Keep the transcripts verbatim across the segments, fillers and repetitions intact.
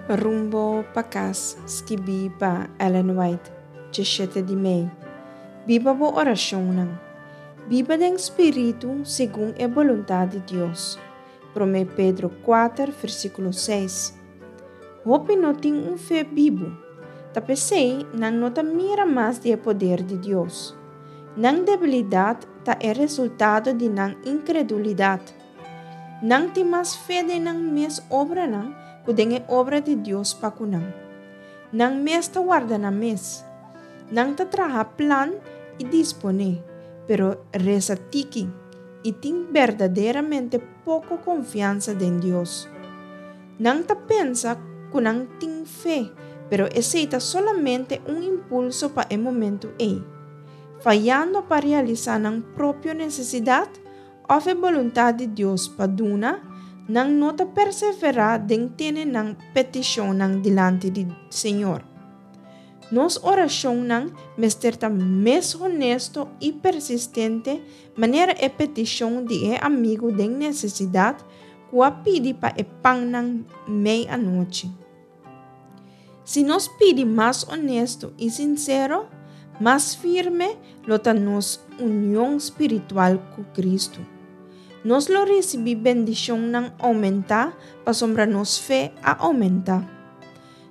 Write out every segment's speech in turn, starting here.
Rumbo pa Kas, skibí pa Ellen White, diesshete di mei. Biba bo orashonnan. Biba den spiritu segun e boluntat di Dios. Promé Pedro kuater, versíkulo seis. Hopi no tin un fe bibu. Ta p'esei nan no ta mira mas di e poder di Dios. Nan debilidat ta e resultado di nan inkredulidat. Nan tin mas fe den nan mes obranan ku den e obra di Dios pa ku nan. Nan mes ta warda nan mes. Nan ta traha plan i disponé, pero resa tiki i tin berdaderamente poko konfiansa den Dios. Nan ta pensa ku nan tin fe, pero esei ta solamente un impulso pa e momento ei. Fayando pa realisá nan propio nesesidat òf e boluntat di Dios pa duna, nan no ta perseverá den tene nan petishonnan dilanti di Señor. Nos orashonnan mester ta mes honesto i persistente manera e petishon di e amigu den nesesidat ku a pidi pa e pannan mei anochi. Si nos pidi mas honesto i sinsero, mas firme lo ta nos union spiritual ku Kristu. Nos lo risibí bendishonnan oumentá pasobra nos fe a oumentá.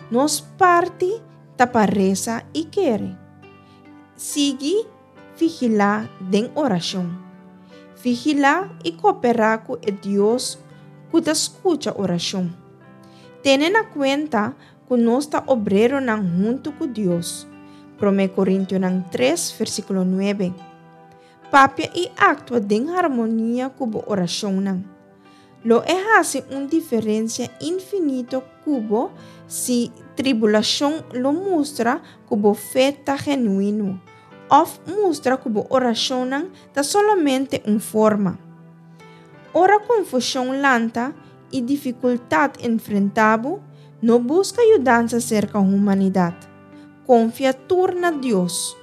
Nos parti ta pa resa i kere. Sigui vigilá den orashon. Vigilá i kooperá ku e Dios ku ta skucha orashon. Tene na kuenta ku nos ta obreronan huntu ku Dios. Promé Korintionan tres, versíkulo nuebe. Papia i aktua den harmonia ku bo orashonnan. Lo e hasi un diferensia infinito ku bo si tribulashon lo mustra ku bo fe ta genuino òf mustra ku bo orashonnan ta solamente un forma. Ora konfushon lanta i difikultat enfrentá bo, no buska yudansa serka humanidat. Konfia tur na Dios.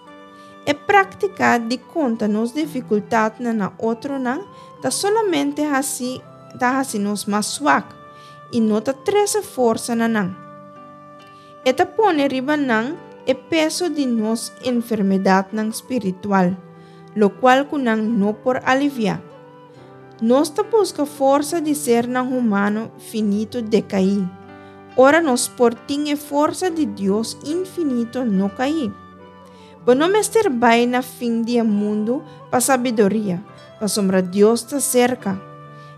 E práktika di konta nos difikultatnan na otronan ta solamente hasi ta hasi nos mas swak i no ta trese forsa na nan. E ta pone riba nan e peso di nos enfermedatnan spiritual, lokual ku nan no por aliviá. Nos ta buska forsa di sernan humano finito dekaí, ora nos por tin e forsa di Dios infinito no kaí. Bo no mester bai na fin di e mundu pa sabiduria, pasobra Dios ta serka.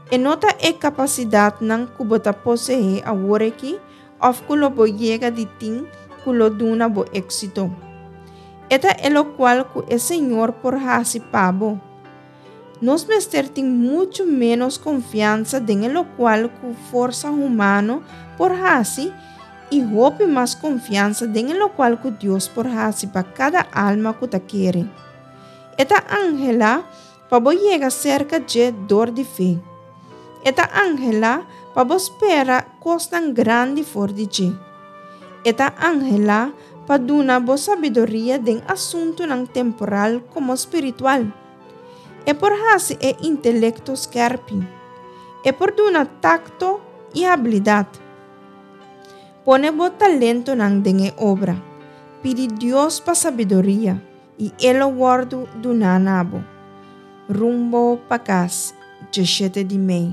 E no ta e kapasidatnan ku bo ta poseé awor aki òf ku lo bo yega di tin ku lo duna bo éksito. E ta e lokual ku e Señor por hasi pa bo. Nos mester tin muchu ménos konfiansa den e lokual ku forsa humano por hasi i hopi mas konfiansa den e lokual ku Dios por hasi pa kada alma ku ta kere. E ta anhelá pa bo yega serka dje dor di fe. E ta anhelá pa bo spera kosnan grandi for di dje. E ta anhelá pa duna bo sabiduria den asuntunan temporal komo spiritual. E por hasi e intelekto skèrpi. E por duna takto i abilidat. Pone bo talentonan den e obra. Pidi Dios pa sabiduria i e lo wòrdu duná na bo. Rumbo pa Kas, diesshete di mei.